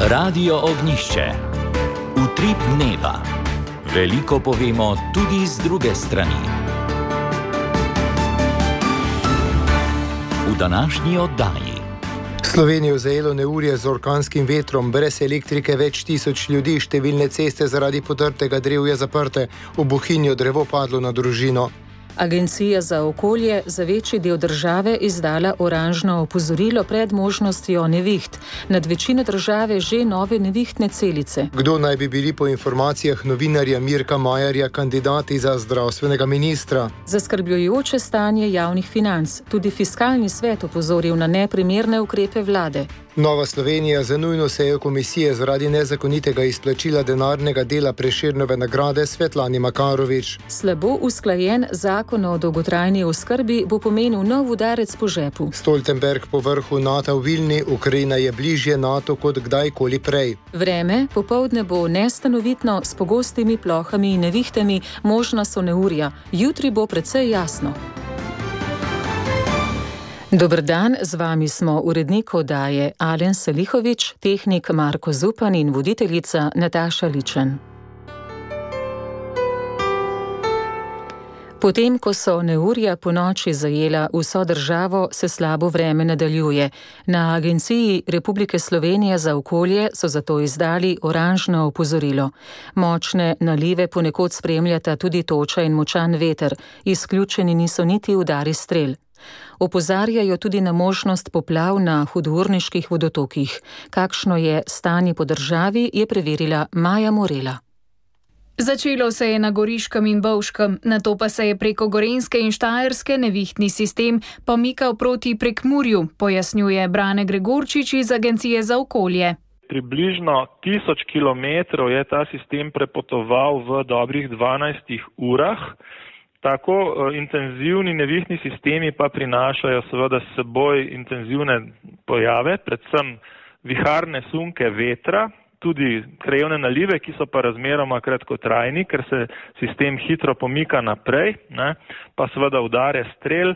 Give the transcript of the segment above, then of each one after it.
Radio Ognjišče. Utrip dneva. Veliko povemo tudi z druge strani. V današnji oddaji. Slovenijo zajelo neurje z orkanskim vetrom, brez elektrike več tisoč ljudi, številne ceste zaradi potrtega drevja zaprte, v Bohinju drevo padlo na družino. Agencija za okolje za večji del države izdala oranžno opozorilo pred možnostjo neviht. Nad večino države že nove nevihtne celice. Kdo naj bi bili po informacijah novinarja Mirka Majerja kandidati za zdravstvenega ministra? Zaskrbljujoče stanje javnih financ. Tudi fiskalni svet opozoril na neprimerne ukrepe vlade. Nova Slovenija za nujno sejo komisije zaradi nezakonitega izplačila denarnega dela Prešernove nagrade Svetlani Makarovič. Slabo usklajen zakon o dolgotrajni oskrbi bo pomenil nov udarec po žepu. Stoltenberg po vrhu NATO v Vilni, Ukrajina je bližje NATO kot kdajkoli prej. Vreme, popoldne bo nestanovitno s pogostimi plohami in nevihtami, možna so neurja. Jutri bo precej jasno. Dober dan, z vami smo urednik oddaje Alen Salihovič, tehnik Marko Zupan in voditeljica Nataša Ličen. Potem, ko so neurja ponoči zajela vso državo, se slabo vreme nadaljuje. Na Agenciji Republike Slovenije za okolje so zato izdali oranžno opozorilo. Močne nalive ponekod spremljata tudi toča in močan veter, izključeni niso niti udari strel. Opozarjajo tudi na možnost poplav na hudourniških vodotokih. Kakšno je stanje po državi, je preverila Maja Morela. Začelo se je na Goriškem in Bovškem, nato pa se je preko Gorenjske in Štajerske nevihtni sistem pomikal proti Prekmurju, pojasnjuje Brane Gregorčič iz Agencije za okolje. Približno 1000 kilometrov je ta sistem prepotoval v dobrih 12 urah. Tako intenzivni nevihtni sistemi pa prinašajo seveda s seboj intenzivne pojave, predvsem viharne sunke vetra, tudi krajevne nalive, ki so pa razmeroma kratkotrajni, ker se sistem hitro pomika naprej, pa seveda udare strel.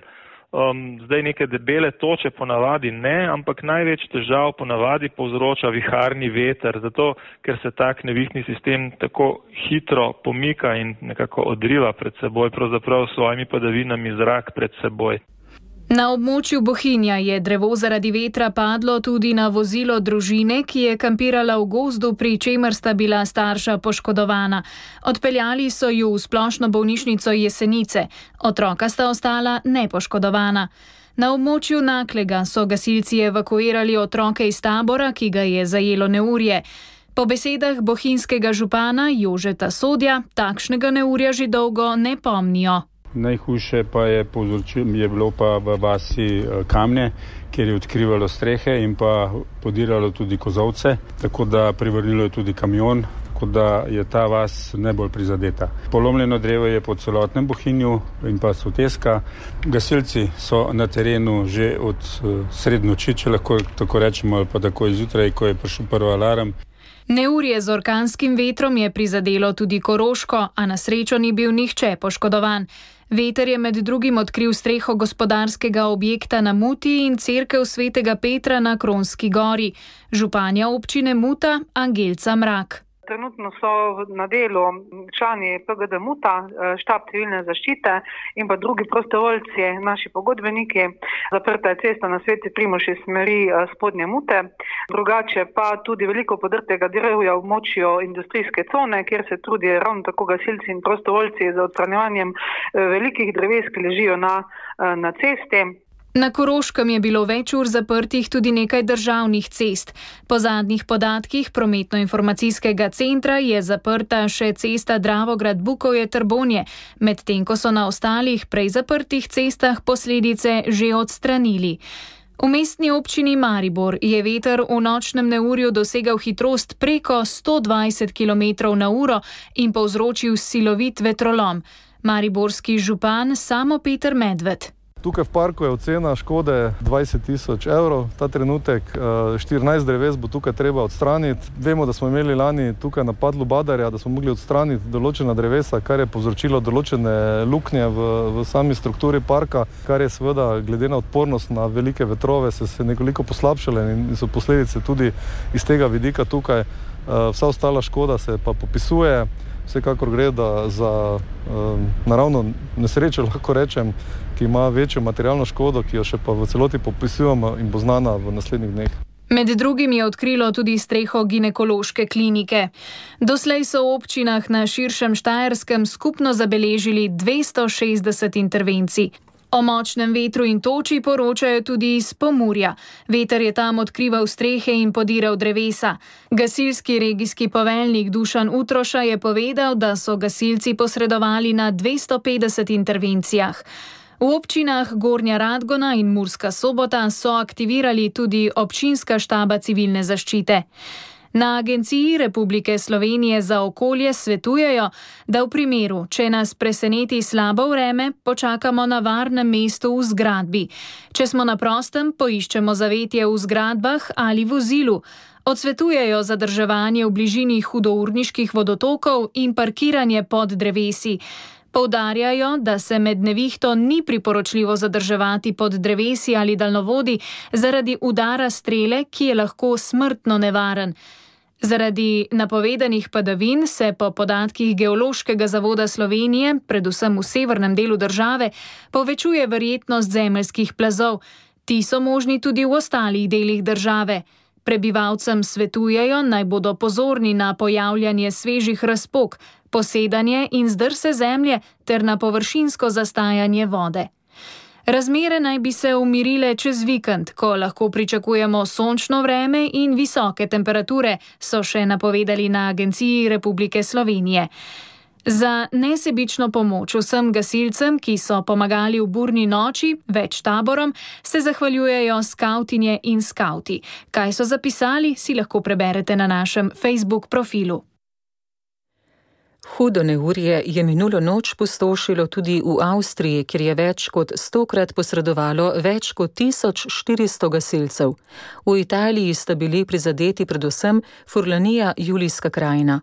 Zdaj neke debele toče ponavadi ne, ampak največ težav ponavadi povzroča viharni veter, zato ker se tak nevihtni sistem tako hitro pomika in nekako odriva pred seboj, pravzaprav s svojimi padavinami zrak pred seboj. Na območju Bohinja je drevo zaradi vetra padlo tudi na vozilo družine, ki je kampirala v gozdu, pri čemer sta bila starša poškodovana. Odpeljali so ju v splošno bolnišnico Jesenice. Otroka sta ostala nepoškodovana. Na območju Naklega so gasilci evakuirali otroke iz tabora, ki ga je zajelo neurje. Po besedah bohinjskega župana Jožeta Sodja, takšnega neurja že dolgo ne pomnijo. Najhujše pa je bilo pa v vasi Kamne, kjer je odkrivalo strehe in pa podiralo tudi kozovce, tako da privrnilo je tudi kamion, tako da je ta vas najbolj prizadeta. Polomljeno drevo je po celotnem Bohinju in pa Soteska. Gasilci so na terenu že od srednoči, če lahko tako rečemo, ali pa tako izjutraj, ko je prišel prvi alarm. Neurje z orkanskim vetrom je prizadelo tudi Koroško, a na srečo ni bil nihče poškodovan. Veter je med drugim odkril streho gospodarskega objekta na Muti in cerkev Svetega Petra na Kronski gori. Županja občine Muta Angelca Mrak. Trenutno so na delu člani PGD Muta, štab civilne zaščite in pa drugi prostovoljci, naši pogodbeniki. Zaprta je cesta na Sveti Primož iz smeri spodnje Mute. Drugače pa tudi veliko podrtega drevja v območju industrijske cone, kjer se trudijo ravno tako gasilci in prostovoljci za odstranjevanjem velikih dreves, ki ležijo na cesti. Na Koroškem je bilo več ur zaprtih tudi nekaj državnih cest. Po zadnjih podatkih prometno-informacijskega centra je zaprta še cesta Dravograd-Bukovje-Trbonje, medtem ko so na ostalih prej zaprtih cestah posledice že odstranili. V mestni občini Maribor je veter v nočnem neurju dosegal hitrost preko 120 km/h in povzročil silovit vetrolom. Mariborski župan Samo Peter Medved. Tukaj v parku je ocena škode 20.000 evrov. Ta trenutek 14 dreves bo tukaj treba odstraniti. Vemo, da smo imeli lani tukaj napad lubadarja, da smo mogli odstraniti določena drevesa, kar je povzročilo določene luknje v sami strukturi parka, kar je seveda glede na odpornost na velike vetrove se nekoliko poslabšale in so posledice tudi iz tega vidika tukaj. Vsa ostala škoda se pa popisuje. Vsekakor gre za naravno nesrečo, lahko rečem, ki ima večjo materialno škodo, ki jo še pa v celoti popisujemo in bo znana v naslednjih dneh. Med drugim je odkrilo tudi streho ginekološke klinike. Doslej so v občinah na širšem Štajerskem skupno zabeležili 260 intervencij. O močnem vetru in toči poročajo tudi iz Pomurja. Veter je tam odkrival strehe in podiral drevesa. Gasilski regijski poveljnik Dušan Utroša je povedal, da so gasilci posredovali na 250 intervencijah. V občinah Gornja Radgona in Murska Sobota so aktivirali tudi občinska štaba civilne zaščite. Na Agenciji Republike Slovenije za okolje svetujejo, da v primeru, če nas preseneti slabo vreme, počakamo na varnem mestu v zgradbi. Če smo na prostem, poiščemo zavetje v zgradbah ali vozilu. Odsvetujejo zadrževanje v bližini hudourniških vodotokov in parkiranje pod drevesi. Poudarjajo, da se med nevihto ni priporočljivo zadrževati pod drevesi ali daljnovodi zaradi udara strele, ki je lahko smrtno nevaren. Zaradi napovedanih padavin se po podatkih Geološkega zavoda Slovenije, predvsem v severnem delu države, povečuje verjetnost zemeljskih plazov. Ti so možni tudi v ostalih delih države. Prebivalcem svetujejo, naj bodo pozorni na pojavljanje svežih razpok, posedanje in zdrse zemlje ter na površinsko zastajanje vode. Razmere naj bi se umirile čez vikend, ko lahko pričakujemo sončno vreme in visoke temperature, so še napovedali na Agenciji Republike Slovenije. Za nesebično pomoč vsem gasilcem, ki so pomagali v burni noči, več taborom, se zahvaljujejo skavtinje in skavti. Kaj so zapisali, si lahko preberete na našem Facebook profilu. Hudo neurje je minulo noč pustošilo tudi v Avstriji, kjer je več kot 100-krat posredovalo več kot 1400 gasilcev. V Italiji sta bili prizadeti predvsem Furlanija, Julijska krajina.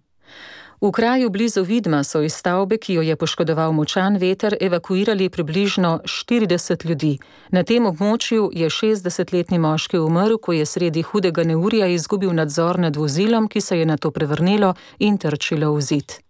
V kraju blizu Vidma so iz stavbe, ki jo je poškodoval močan veter, evakuirali približno 40 ljudi. Na tem območju je 60-letni moški umrl, ko je sredi hudega neurja izgubil nadzor nad vozilom, ki se je nato prevrnilo in trčilo v zid.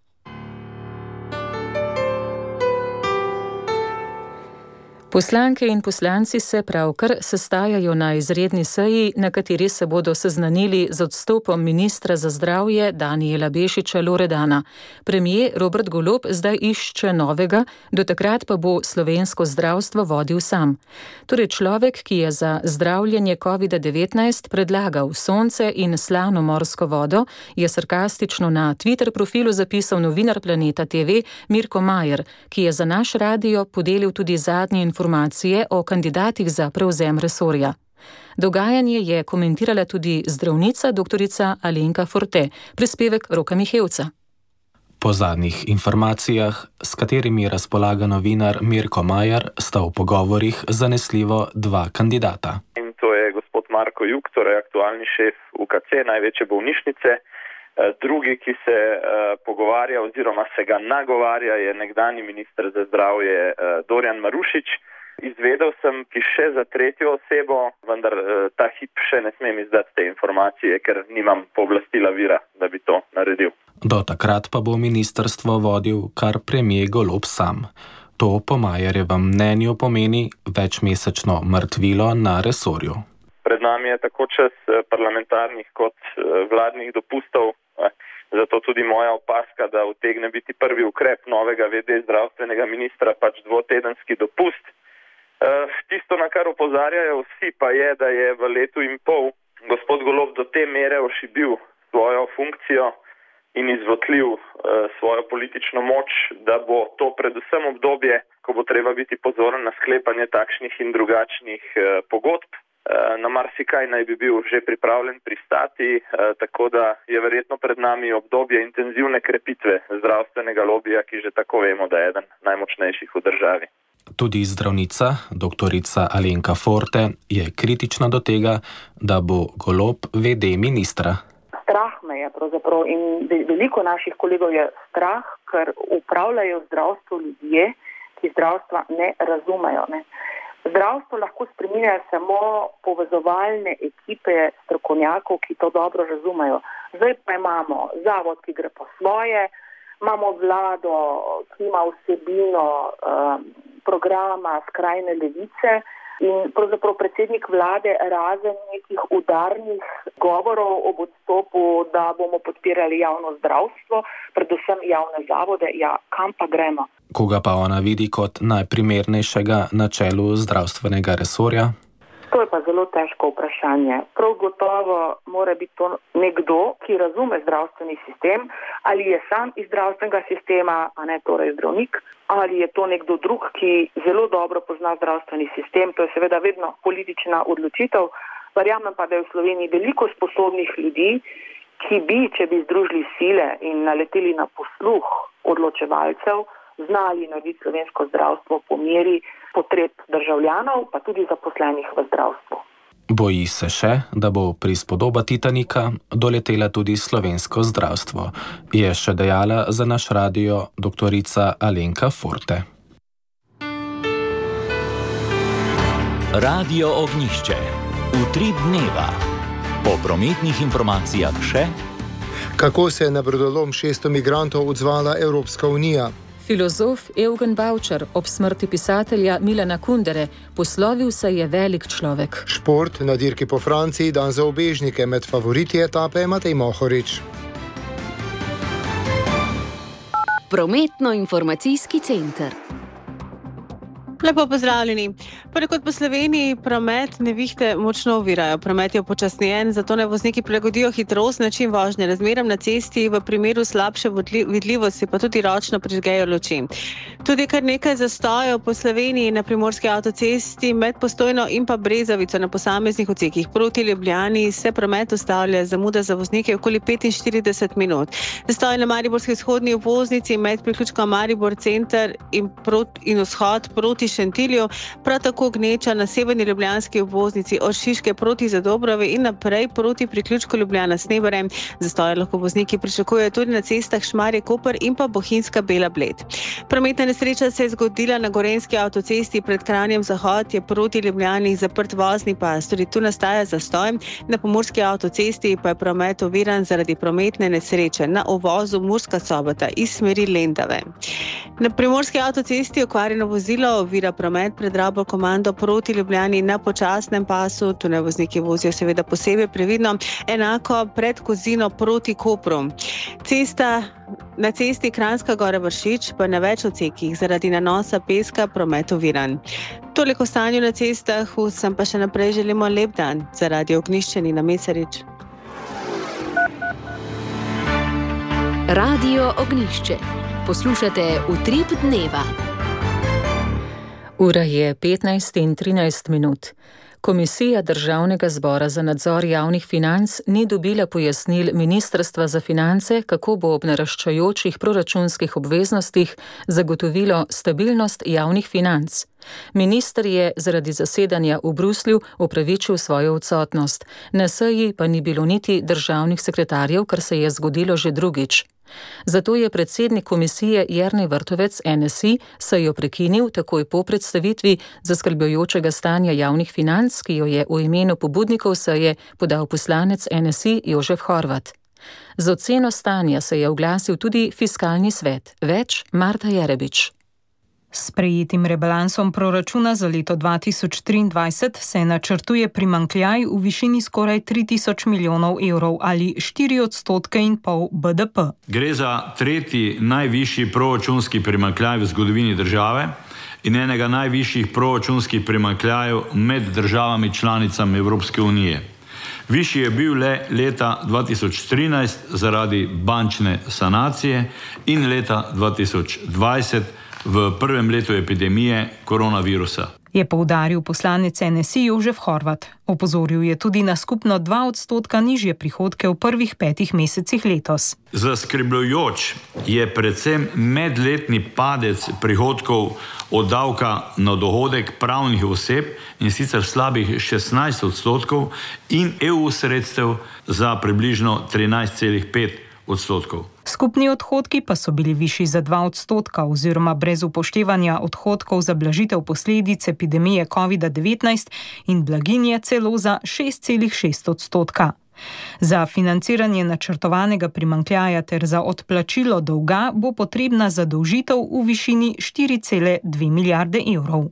Poslanke in poslanci se pravkar sestajajo na izredni seji, na kateri se bodo seznanili z odstopom ministra za zdravje Danijela Bešiča Loredana. Premier Robert Golob zdaj išče novega, do takrat pa bo slovensko zdravstvo vodil sam. Torej človek, ki je za zdravljenje COVID-19 predlagal sonce in slano morsko vodo, je sarkastično na Twitter profilu zapisal novinar Planeta TV Mirko Majer, ki je za naš radio podelil tudi zadnje informacije o kandidatih za prevzem resorja. Dogajanje je komentirala tudi zdravnica doktorica Alenka Forte, prispevek Roka Mihevca. Po zadnjih informacijah, s katerimi razpolaga novinar Mirko Majer, sta v pogovorih zanesljivo dva kandidata. In to je gospod Marko Juk, torej aktualni šef UKC, največje bolnišnice. Drugi, ki se pogovarja oziroma se ga nagovarja, je nekdanji minister za zdravje Dorjan Marušič. Izvedel sem še za tretjo osebo, vendar ta hip še ne smem izdati te informacije, ker nimam pooblastila vira, da bi to naredil. Do takrat pa bo ministrstvo vodil kar premier Golob sam. To po Majerjevem mnenju pomeni večmesečno mrtvilo na resorju. Pred nami je tako čas parlamentarnih kot vladnih dopustov, zato tudi moja opaska, da utegne biti prvi ukrep novega VD zdravstvenega ministra pač dvotedenski dopust. Tisto, na kar opozarjajo vsi, pa je, da je v letu in pol gospod Golob do te mere ošibil svojo funkcijo in izvotljiv svojo politično moč, da bo to predvsem obdobje, ko bo treba biti pozoren na sklepanje takšnih in drugačnih pogodb. Na marsikaj naj bi bil že pripravljen pristati, tako da je verjetno pred nami obdobje intenzivne krepitve zdravstvenega lobija, ki že tako vemo, da je eden najmočnejših v državi. Tudi zdravnica, doktorica Alenka Forte, je kritična do tega, da bo Golob VD ministra. Strah me je pravzaprav in veliko naših kolegov je strah, ker upravljajo zdravstvo ljudje, ki zdravstva ne razumejo. Ne. Zdravstvo lahko spreminja samo povezovalne ekipe strokovnjakov, ki to dobro razumejo. Zdaj pa imamo zavod, ki gre po svoje, imamo vlado, ki ima vsebino programa skrajne levice in pravzaprav predsednik vlade razen nekih udarnih govorov ob odstopu, da bomo podpirali javno zdravstvo, predvsem javne zavode, ja, kam pa gremo? Koga pa ona vidi kot najprimernejšega na čelu zdravstvenega resorja? To je pa zelo težko vprašanje. Prav gotovo mora biti to nekdo, ki razume zdravstveni sistem, ali je sam iz zdravstvenega sistema, a ne torej zdravnik, ali je to nekdo drug, ki zelo dobro pozna zdravstveni sistem. To je seveda vedno politična odločitev. Verjamem pa, da je v Sloveniji veliko sposobnih ljudi, ki bi, če bi združili sile in naleteli na posluh odločevalcev, znali narediti slovensko zdravstvo po meri potreb državljanov, pa tudi zaposlenih v zdravstvu. Boji se še, da bo prispodoba Titanika doletela tudi slovensko zdravstvo, je še dejala za naš radio doktorica Alenka Forte. Radio Ognjišče. Utrip dneva. Po prometnih informacijah še? Kako se je na brodolom 600 migrantov odzvala Evropska unija? Filozof Eugen Bavčar ob smrti pisatelja Milana Kundere poslovil se je velik človek. Šport na dirki po Franciji, dan za ubežnike, med favoriti etape Matej Mohorič. Prometno-informacijski center. Lepo pozdravljeni. Ponekod po Sloveniji promet nevihte močno ovirajo. Promet je upočasnjen, zato naj vozniki prilagodijo hitrost, način vožnje razmeram na cesti, v primeru slabše vidljivosti pa tudi ročno prižgejo luči. Tudi kar nekaj zastojev po Sloveniji na primorski avtocesti med Postojno in pa Brezovico na posameznih odsekih proti Ljubljani se promet ustavlja, zamuda za voznike okoli 45 minut. Zastoj na mariborski vzhodni obvoznici med priključkom Maribor center in vzhod proti Šentilju, prav tako gneča na severni ljubljanski obvoznici od Šiške proti Zadobrovi in naprej proti priključku Ljubljana Snebare. Zastoje lahko vozniki pričakujejo tudi na cestah Šmarje-Koper in pa Bohinjska Bela Bled. Prometna nesreča se je zgodila na gorenjski avtocesti pred Kranjem Zahod, je proti Ljubljani zaprt vozni pas. Tudi tu nastaja zastoj. Na pomurski avtocesti pa je promet oviran zaradi prometne nesreče na uvozu Murska Sobota iz smeri Lendave. Na primorski avtocesti okvarjeno vozilo ovira promet pred Rabo komando proti Ljubljani na počasnem pasu. Tu naj vozniki vozijo seveda posebej previdno. Enako pred Kozino proti Kopru. Na cesti Kranjska Gora Vršič pa na več odsekih zaradi nanosa peska promet oviran. Toliko o stanju na cestah, vsem pa še naprej želimo lep dan. Za Radio Ognjišče Nina Mesarič. Radio Ognjišče. Poslušate Utrip dneva. Ura je 15:13. Komisija Državnega zbora za nadzor javnih financ ni dobila pojasnil Ministrstva za finance, kako bo ob naraščajočih proračunskih obveznostih zagotovilo stabilnost javnih financ. Minister je zaradi zasedanja v Bruslju opravičil svojo odsotnost. Na seji pa ni bilo niti državnih sekretarjev, kar se je zgodilo že drugič. Zato je predsednik komisije Jernej Vrtovec NSI sejo prekinil takoj po predstavitvi zaskrbljujočega stanja javnih financ, ki jo je v imenu pobudnikov seje podal poslanec NSI Jožef Horvat. Z oceno stanja se je oglasil tudi Fiskalni svet. Več Marta Jerebič. S sprejetim rebalansom proračuna za leto 2023 se načrtuje primanjkljaj v višini skoraj 3000 milijonov evrov ali 4,5% BDP. Gre za tretji najvišji proračunski primanjkljaj v zgodovini države in enega najvišjih proračunskih primanjkljajev med državami članicami Evropske unije. Višji je bil le leta 2013 zaradi bančne sanacije in leta 2020 v prvem letu epidemije koronavirusa. je poudaril poslanec NSI Jožef Horvat. Opozoril je tudi na skupno 2% nižje prihodke v prvih 5 mesecih letos. Zaskrbljujoč je predvsem medletni padec prihodkov od davka na dohodek pravnih oseb, in sicer slabih 16% in EU sredstev za približno 13,5%. Skupni odhodki pa so bili višji za 2% oziroma brez upoštevanja odhodkov za blažitev posledic epidemije COVID-19 in blaginje celo za 6,6%. Za financiranje načrtovanega primanjkljaja ter za odplačilo dolga bo potrebna zadolžitev v višini 4,2 milijarde evrov.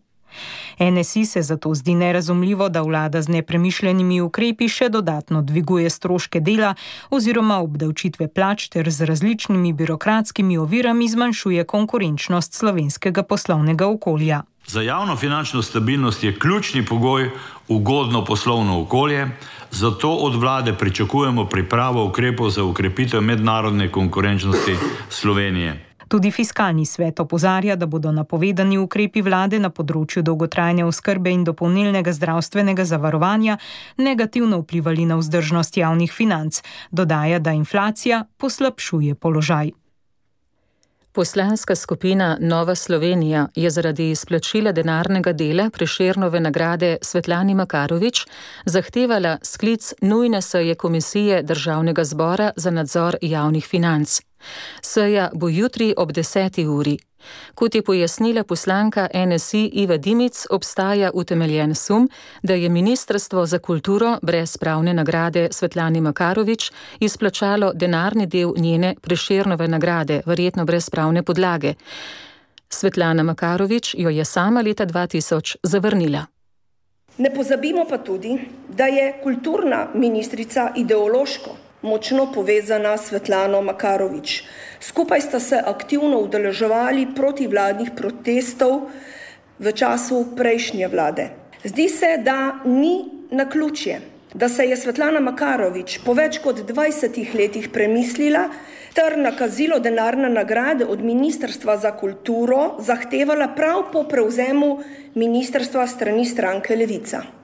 NSI se zato zdi nerazumljivo, da vlada z nepremišljenimi ukrepi še dodatno dviguje stroške dela oziroma obdavčitve plač ter z različnimi birokratskimi ovirami zmanjšuje konkurenčnost slovenskega poslovnega okolja. Za javno finančno stabilnost je ključni pogoj ugodno poslovno okolje, zato od vlade pričakujemo pripravo ukrepov za okrepitev mednarodne konkurenčnosti Slovenije. Tudi Fiskalni svet opozarja, da bodo napovedani ukrepi vlade na področju dolgotrajne oskrbe in dopolnilnega zdravstvenega zavarovanja negativno vplivali na vzdržnost javnih financ. Dodaja, da inflacija poslabšuje položaj. Poslanska skupina Nova Slovenija je zaradi izplačila denarnega dela Prešernove nagrade Svetlani Makarovič zahtevala sklic nujne seje Komisije Državnega zbora za nadzor javnih financ. Seja bo jutri ob 10. uri. Kot je pojasnila poslanka NSI Iva Dimic, obstaja utemeljen sum, da je Ministrstvo za kulturo brez pravne nagrade Svetlani Makarovič izplačalo denarni del njene Prešernove nagrade, verjetno brez pravne podlage. Svetlana Makarovič jo je sama leta 2000 zavrnila. Ne pozabimo pa tudi, da je kulturna ministrica ideološko močno povezana s Svetlano Makarovič. Skupaj sta se aktivno udeleževali protivladnih protestov v času prejšnje vlade. Zdi se, da ni naključje, da se je Svetlana Makarovič po več kot 20 letih premislila ter nakazilo denarne nagrade od Ministrstva za kulturo zahtevala prav po prevzemu ministrstva strani stranke Levica.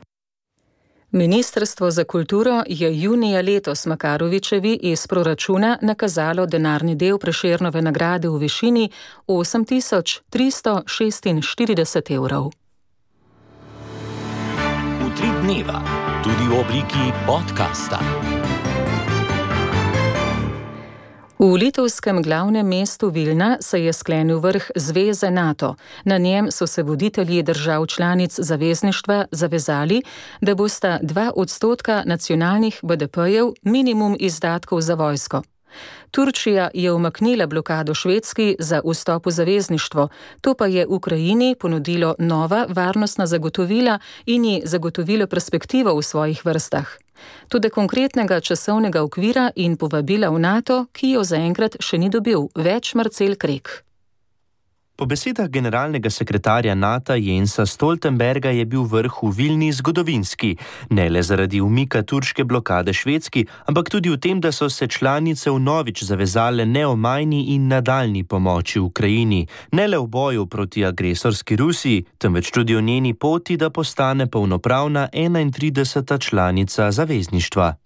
Ministrstvo za kulturo je junija letos Makarovičevi iz proračuna nakazalo denarni del Prešernove nagrade v višini 8.346 evrov. Utrip dneva, tudi v obliki podcasta. V litovskem glavnem mestu Vilna se je sklenil vrh zveze NATO. Na njem so se voditelji držav članic zavezništva zavezali, da bosta 2% nacionalnih BDP-jev minimum izdatkov za vojsko. Turčija je umaknila blokado Švedski za vstop v zavezništvo, to pa je Ukrajini ponudilo nova varnostna zagotovila in ji zagotovilo perspektivo v svojih vrstah. Tudi konkretnega časovnega okvira in povabila v NATO, ki jo zaenkrat še ni dobil, več Marcel Krek. Po besedah generalnega sekretarja NATO Jensa Stoltenberga je bil vrh v Vilni zgodovinski, ne le zaradi umika turške blokade Švedski, ampak tudi v tem, da so se članice vnovič zavezale neomajni in nadaljni pomoči Ukrajini, ne le v boju proti agresorski Rusiji, temveč tudi v njeni poti, da postane polnopravna 31. članica zavezništva.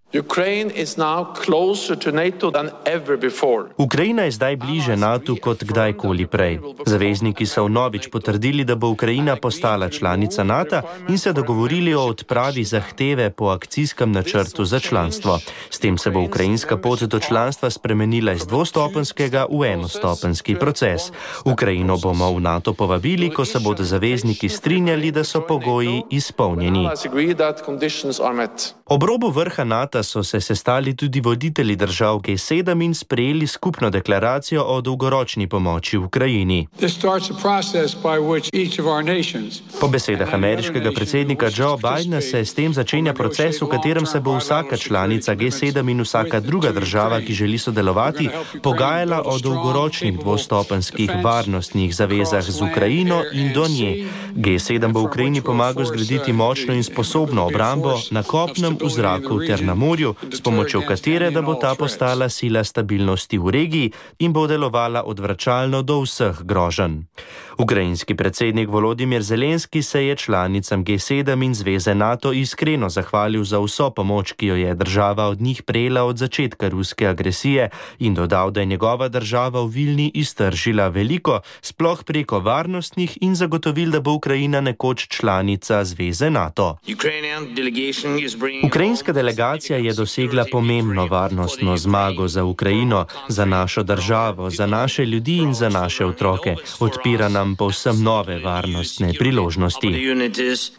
Ukrajina je zdaj bliže NATO kot kdajkoli prej. Zavezniki so vnovič potrdili, da bo Ukrajina postala članica NATO in se dogovorili o odpravi zahteve po akcijskem načrtu za članstvo. S tem se bo ukrajinska pot do članstva spremenila iz dvostopenskega v enostopenski proces. Ukrajino bomo v NATO povabili, ko se bodo zavezniki strinjali, da so pogoji izpolnjeni. Ob robu vrha NATO so se sestali tudi voditelji držav G7 in sprejeli skupno deklaracijo o dolgoročni pomoči Ukrajini. Po besedah ameriškega predsednika Joe Bidena se s tem začenja proces, v katerem se bo vsaka članica G7 in vsaka druga država, ki želi sodelovati, pogajala o dolgoročnih dvostopenskih varnostnih zavezah z Ukrajino in do nje. G7 bo Ukrajini pomagal zgraditi močno in sposobno obrambo na kopnem, v zraku ter na morju morju, s pomočjo katere da bo ta postala sila stabilnosti v regiji in bo delovala odvračalno do vseh groženj. Ukrajinski predsednik Volodimir Zelenski se je članicam G7 in zveze NATO iskreno zahvalil za vso pomoč, ki jo je država od njih prejela od začetka ruske agresije in dodal, da je njegova država v Vilni iztržila veliko, sploh preko varnostnih in zagotovil, da bo Ukrajina nekoč članica zveze NATO. Ukrajinska delegacija je dosegla pomembno varnostno zmago za Ukrajino, za našo državo, za naše ljudi in za naše otroke. Odpira nam povsem nove varnostne priložnosti.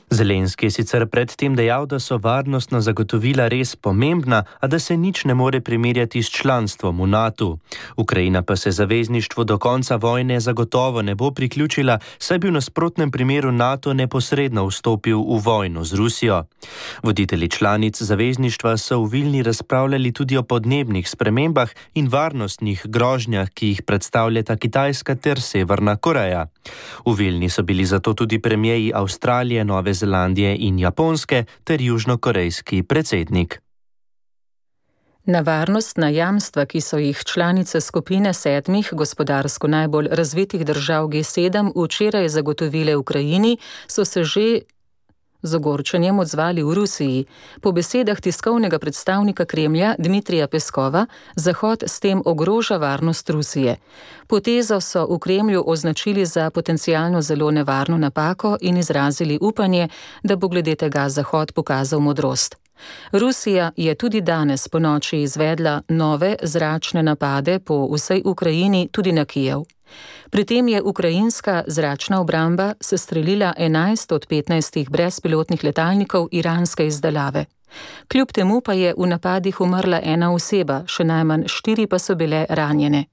Zelenski je sicer predtem dejal, da so varnostna zagotovila res pomembna, a da se nič ne more primerjati s članstvom v NATO. Ukrajina pa se zavezništvu do konca vojne zagotovo ne bo priključila, saj bi v nasprotnem primeru NATO neposredno vstopil v vojno z Rusijo. Voditelji članic zavezništva so v Vilni razpravljali tudi o podnebnih spremembah in varnostnih grožnjah, ki jih predstavljata Kitajska ter Severna Koreja. V Vilni so bili zato tudi premierji Avstralije, Nove Zelandije in Japonske ter južnokorejski predsednik. Na varnostna jamstva, ki so jih članice skupine 7 gospodarsko najbolj razvitih držav G7 včeraj zagotovile Ukrajini, so se že z ogorčenjem odzvali v Rusiji. Po besedah tiskovnega predstavnika Kremlja Dmitrija Peskova, Zahod s tem ogroža varnost Rusije. Potezo so v Kremlju označili za potencialno zelo nevarno napako in izrazili upanje, da bo glede tega Zahod pokazal modrost. Rusija je tudi danes ponoči izvedla nove zračne napade po vsej Ukrajini, tudi na Kijev. Pri tem je ukrajinska zračna obramba sestrelila 11 od 15 brezpilotnih letalnikov iranske izdelave. Kljub temu pa je v napadih umrla ena oseba, še najmanj 4 pa so bile ranjene.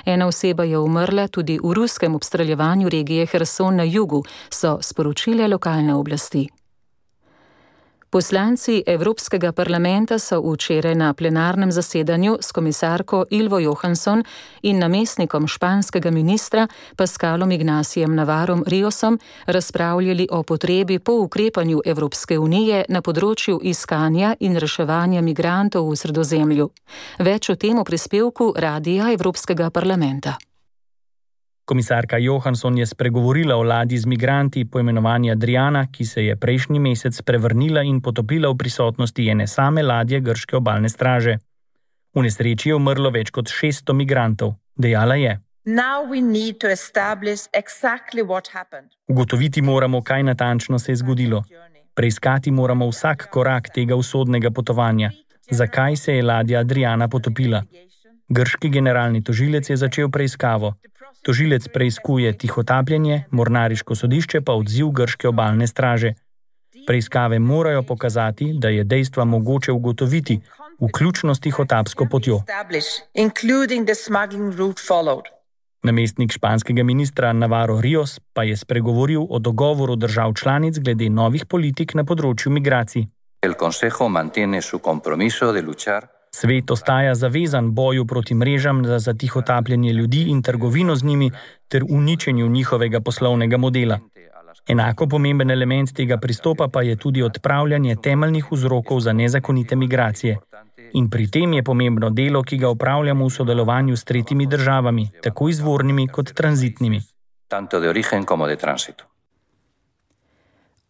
Ena oseba je umrla tudi v ruskem obstreljevanju regije Herson na jugu, so sporočile lokalne oblasti. Poslanci Evropskega parlamenta so včeraj na plenarnem zasedanju s komisarko Ilvo Johansson in namestnikom španskega ministra Pascalom Ignacijem Navarrom Riosom razpravljali o potrebi po ukrepanju Evropske unije na področju iskanja in reševanja migrantov v Sredozemlju. Več o tem v prispevku Radia Evropskega parlamenta. Komisarka Johansson je spregovorila o ladji z migranti poimenovani Adriana, ki se je prejšnji mesec prevrnila in potopila v prisotnosti ene same ladje grške obalne straže. V nesreči je umrlo več kot 600 migrantov. Dejala je: Ugotoviti moramo, kaj natančno se je zgodilo. Preiskati moramo vsak korak tega usodnega potovanja. Zakaj se je ladja Adriana potopila? Grški generalni tožilec je začel preiskavo. Tožilec preiskuje tihotapljenje, mornariško sodišče pa odziv grške obalne straže. Preiskave morajo pokazati, da je dejstva mogoče ugotoviti, vključno s tihotapsko potjo. Namestnik španskega ministra Navarro Rios pa je spregovoril o dogovoru držav članic glede novih politik na področju migracij. Svet ostaja zavezan boju proti mrežam za tihotapljenje ljudi in trgovino z njimi ter uničenju njihovega poslovnega modela. Enako pomemben element tega pristopa pa je tudi odpravljanje temeljnih vzrokov za nezakonite migracije. In pri tem je pomembno delo, ki ga opravljamo v sodelovanju s tretjimi državami, tako izvornimi kot tranzitnimi.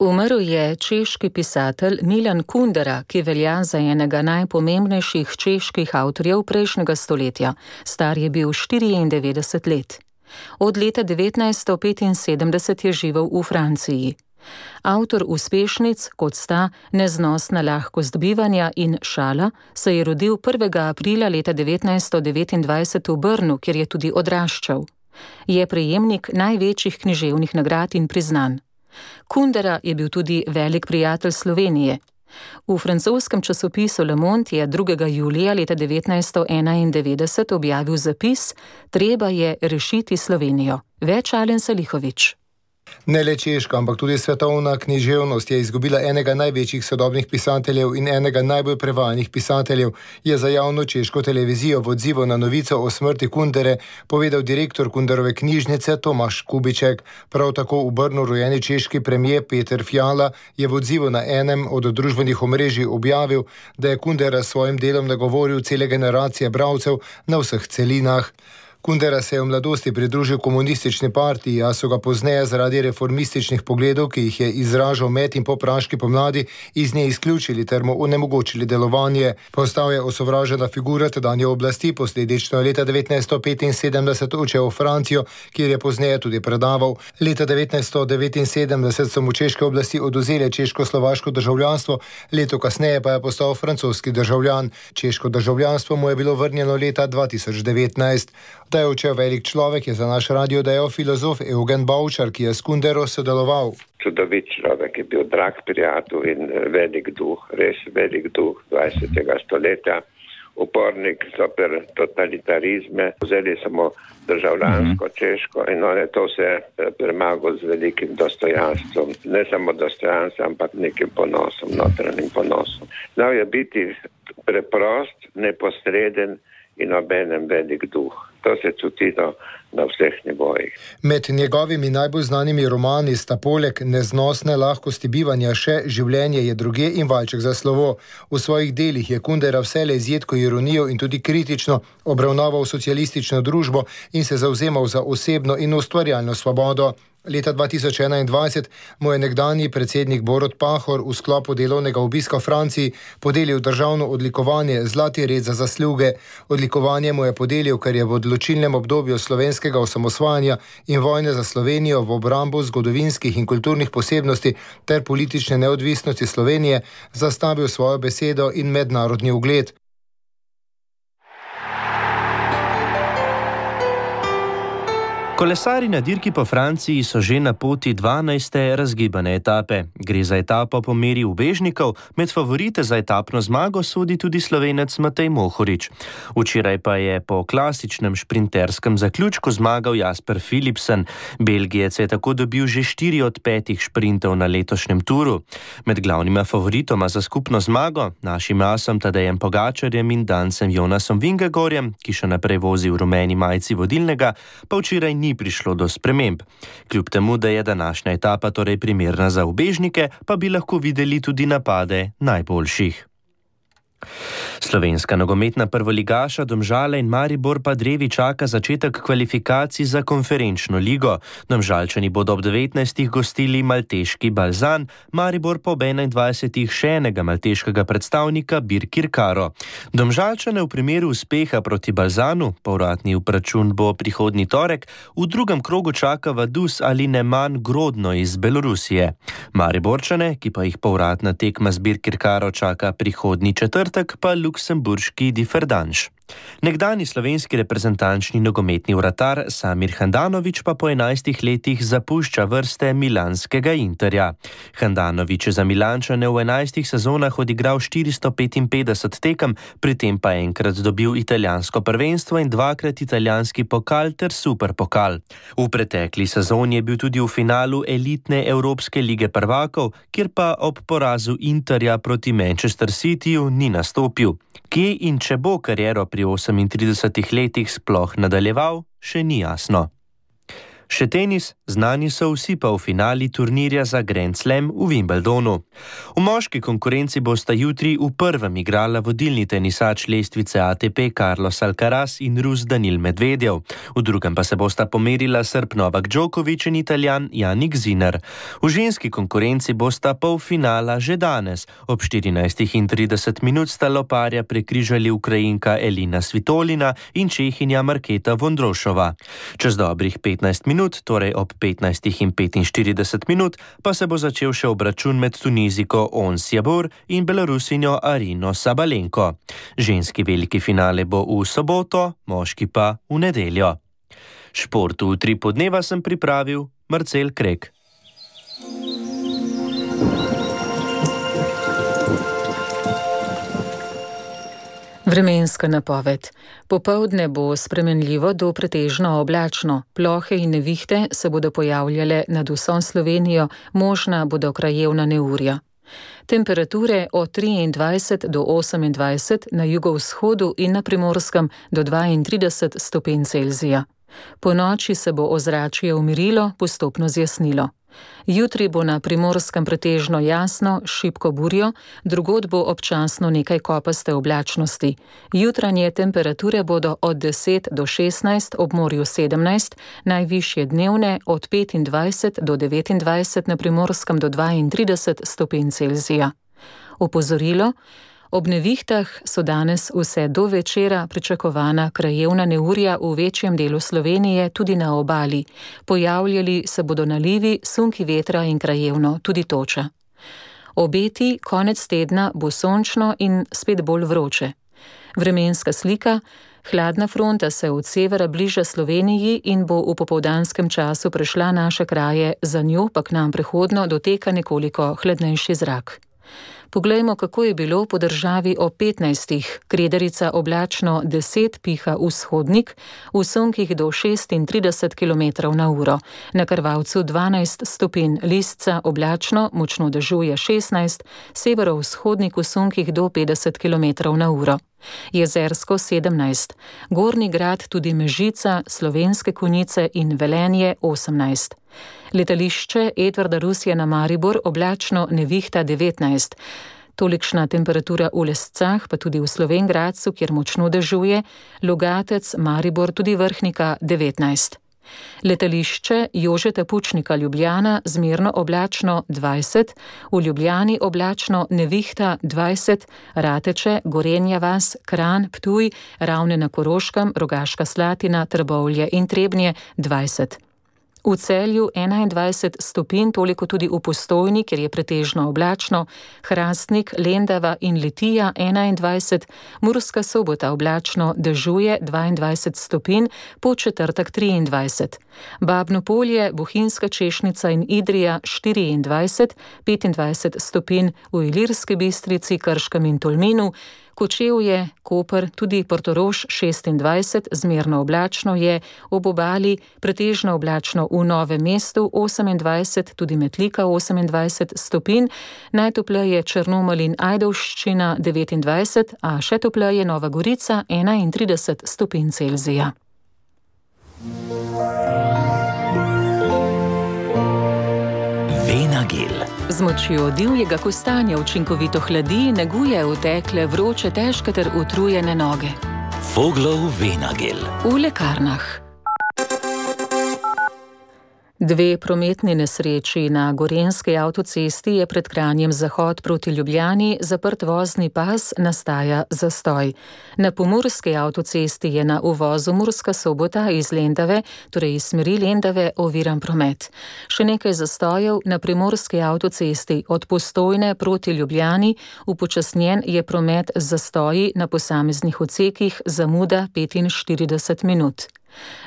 Umrl je češki pisatelj Milan Kundera, ki velja za enega najpomembnejših čeških avtorjev prejšnjega stoletja. Star je bil 94 let. Od leta 1975 je živel v Franciji. Avtor uspešnic, kot sta Neznosna lahkost bivanja in Šala, se je rodil 1. aprila leta 1929 v Brnu, kjer je tudi odraščal. Je prejemnik največjih književnih nagrad in priznanj. Kundera je bil tudi velik prijatelj Slovenije. V francoskem časopisu Le Monde je 2. julija leta 1991 objavil zapis: Treba je rešiti Slovenijo. Več Alen Salihović. Ne le češka, ampak tudi svetovna književnost je izgubila enega največjih sodobnih pisateljev in enega najbolj prevajanih pisateljev, je za javno češko televizijo v odzivu na novico o smrti Kundere povedal direktor Kunderove knjižnice Tomaš Kubiček. Prav tako v Brnu rojeni češki premijer Peter Fiala je v odzivu na enem od družbenih omrežij objavil, da je Kundera s svojim delom nagovoril cele generacije bralcev na vseh celinah. Kundera se je v mladosti pridružil komunistični partiji, a so ga pozneje zaradi reformističnih pogledov, ki jih je izražal med in po praški pomladi, iz nje izključili ter mu onemogočili delovanje. Postal je osovražena figura tedanje oblasti, posledično je leta 1975 odšel v Francijo, kjer je pozneje tudi predaval. Leta 1979 so mu češke oblasti odvzele češko-slovaško državljanstvo, leto kasneje pa je postal francoski državljan. Češko državljanstvo mu je bilo vrnjeno leta 2019. Da je odšel velik človek, je za naš radio dejal filozof Eugen Bavčar, ki je s Kundero sodeloval. Čudovit človek, je bil drag prijatelj in velik duh, res velik duh 20. stoletja. Upornik zoper totalitarizme, vzeli samo državljansko češko in on je to vse premagal z velikim dostojanstvom. Ne samo dostojanstvom, ampak nekim ponosom, notranjim ponosom. Znal je biti preprost, neposreden in obenem velik duh. To se čuti na vseh nivojih. Med njegovimi najbolj znanimi romani sta poleg Neznosne lahkosti bivanja še Življenje je drugje in Valček za slovo. V svojih delih je Kundera vselej z jedko ironijo in tudi kritično obravnaval socialistično družbo in se zavzemal za osebno in ustvarjalno svobodo. Leta 2021 mu je nekdanji predsednik Borut Pahor v sklopu delovnega obiska v Franciji podelil državno odlikovanje Zlati red za zasluge. Odlikovanje mu je podelil, ker je v odločilnem obdobju slovenskega osamosvajanja in vojne za Slovenijo v obrambo zgodovinskih in kulturnih posebnosti ter politične neodvisnosti Slovenije zastavil svojo besedo in mednarodni ugled. Kolesarji na dirki po Franciji so že na poti 12. razgibane etape. Gre za etapo po meri ubežnikov, med favorite za etapno zmago sodi tudi Slovenec Matej Mohorič. Včeraj pa je po klasičnem šprinterskem zaključku zmagal Jasper Philipsen. Belgijec je tako dobil že 4 od 5 šprintov na letošnjem turu. Med glavnima favoritoma za skupno zmago, našim asom Tadejem Pogačarjem in Dancem Jonasom Vingegorjem, ki še naprej vozi v rumeni majici vodilnega, pa včeraj ni prišlo do sprememb. Kljub temu, da je današnja etapa torej primerna za ubežnike, pa bi lahko videli tudi napade najboljših. Slovenska nogometna prvoligaša Domžale in Maribor pa drevi čaka začetek kvalifikacij za konferenčno ligo. Domžalčani bodo ob 19. gostili malteški Balzan, Maribor pa ob 21. še enega malteškega predstavnika Birkirkaro. Domžalčane v primeru uspeha proti Balzanu, povratni obračun bo prihodnji torek, v drugem krogu čaka Vaduz ali Neman Grodno iz Belorusije. Mariborčane, ki pa jih povratna tekma z Birkirkaro čaka prihodnji četrtek, pa luksemburški Differdange. Nekdani slovenski reprezentančni nogometni vratar Samir Handanović pa po 11 letih zapušča vrste milanskega Interja. Handanović je za Milančane v 11 sezonah odigral 455 tekem, pri tem pa enkrat dobil italijansko prvenstvo in dvakrat italijanski pokal ter superpokal. V pretekli sezoni je bil tudi v finalu elitne Evropske lige prvakov, kjer pa ob porazu Interja proti Manchester Cityju ni nastopil. Kje in če bo kariero pri 38 letih sploh nadaljeval, še ni jasno. Še tenis, znani so vsi pa v finali turnirja za Grand Slam v Wimbledonu. V moški konkurenci bosta jutri v prvem igrala vodilni tenisač lestvice ATP Carlos Alcaraz in Rus Danil Medvedev. V drugem pa se bosta pomerila Srb Novak Djokovic in Italijan Jannik Sinner. V ženski konkurenci bosta polfinala že danes. Ob 14:30 sta loparja prekrižali Ukrajinka Elina Svitolina in Čehinja Marketa Vondrošova. Čez dobrih 15 minut, torej ob 15:45, pa se bo začel še obračun med Tuniziko Ons Jabeur in Belorusinjo Arino Sabalenko. Ženski veliki finale bo v soboto, moški pa v nedeljo. Športu v Tripu dneva sem pripravil Marcel Krek. Vremenska napoved. Popoldne bo spremenljivo do pretežno oblačno. Plohe in nevihte se bodo pojavljale nad vso Slovenijo, možna bodo krajevna neurja. Temperature od 23 do 28 na jugovzhodu in na Primorskem do 32 stopinj Celzija. Po noči se bo ozračje umirilo, postopno zjasnilo. Jutri bo na Primorskem pretežno jasno, šibko burjo, drugod bo občasno nekaj kopaste oblačnosti. Jutranje temperature bodo od 10 do 16, ob morju 17, najvišje dnevne od 25 do 29, na Primorskem do 32 stopinj Celzija. Opozorilo: ob nevihtah so danes vse do večera pričakovana krajevna neurja v večjem delu Slovenije, tudi na obali. Pojavljali se bodo nalivi, sunki vetra in krajevno tudi toča. Obeti: konec tedna bo sončno in spet bolj vroče. Vremenska slika: hladna fronta se od severa bliža Sloveniji in bo v popoldanskem času prešla naše kraje, za njo pa k nam prehodno doteka nekoliko hladnejši zrak. Poglejmo, kako je bilo po državi o 15. Kredarica oblačno 10, piha vzhodnik, v sunkih do 36 km/h, na Krvavcu 12 stopinj, Lisca oblačno, močno dežuje 16, severovzhodnik v sunkih do 50 km/h. Jezersko 17, Gornji Grad, tudi Mežica, Slovenske Konjice in Velenje 18. Letališče Edvarda Rusija na Maribor oblačno, nevihta 19. Tolikšna temperatura v Lescah, pa tudi v Slovenj Gradcu, kjer močno dežuje, Logatec, Maribor, tudi Vrhnika 19. Letališče Jožeta Pučnika Ljubljana zmerno oblačno 20, v Ljubljani oblačno, nevihta 20, Rateče, Gorenja vas, Kranj, Ptuj, Ravne na Koroškem, Rogaška Slatina, Trbovlje in Trebnje 20. V Celju 21 stopinj, toliko tudi v Postojni, kjer je pretežno oblačno, Hrastnik, Lendava in Litija 21, Murska Sobota oblačno, dežuje 22 stopinj, Podčetrtek 23. Babno Polje, Bohinjska Češnica in Idrija 24, 25 stopinj, v Ilirski Bistrici, Krškem in Tolminu, Kočevje, Koper, tudi Portorož 26, zmerno oblačno je, ob obali pretežno oblačno v Novem mestu 28, tudi Metlika 28 stopinj, najtopleje Črnomelj in Ajdovščina 29, a še topleje Nova Gorica 31 stopinj Celzija. Venagel. Z močjo divjega kostanja učinkovito hladi, neguje utekle, vroče, težke ter utrujene noge. Voglov Venagel. V lekarnah. 2 prometni nesreči na Gorenjski avtocesti je pred Kranjem zahod proti Ljubljani zaprt vozni pas, nastaja zastoj. Na Pomurski avtocesti je na uvozu Murska Sobota iz Lendave, torej iz smeri Lendave, oviran promet. Še nekaj zastojev na Primorski avtocesti od Postojne proti Ljubljani, upočasnjen je promet z zastoji na posameznih odsekih, zamuda 45 minut.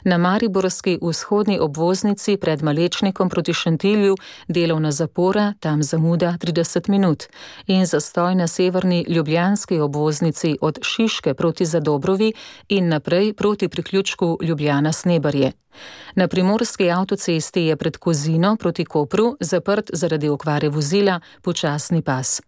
Na mariborski vzhodni obvoznici pred Malečnikom proti Šentilju delovna zapora, tam zamuda 30 minut, in zastoj na severni ljubljanski obvoznici od Šiške proti Zadobrovi in naprej proti priključku Ljubljana-Snebarje. Na primorski avtocesti je pred Kozino proti Kopru zaprt zaradi okvare vozila počasni pas.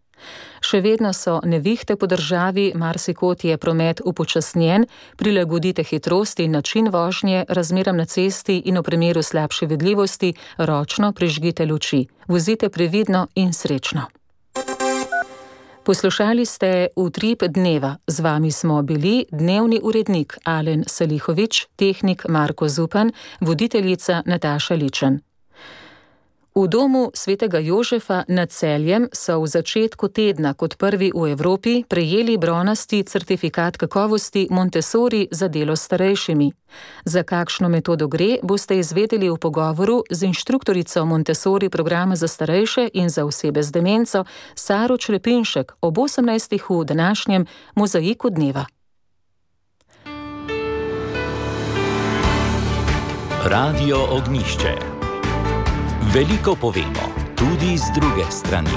Še vedno so nevihte po državi, marsikod je promet upočasnjen, prilagodite hitrost in način vožnje razmeram na cesti in v primeru slabše vidljivosti ročno prižgite luči. Vozite previdno in srečno. Poslušali ste Utrip dneva. Z vami smo bili dnevni urednik Alen Salihovič, tehnik Marko Zupan, voditeljica Nataša Ličen. V domu svetega Jožefa nad Celjem so v začetku tedna kot prvi v Evropi prejeli bronasti certifikat kakovosti Montessori za delo s starejšimi. Za kakšno metodo gre, boste izvedeli v pogovoru z inštruktorico Montessori programa za starejše in za osebe z demenco Saro Črepinšek ob 18. v današnjem Mozaiku dneva. Radio Ognjišče. Veliko povemo, tudi z druge strani.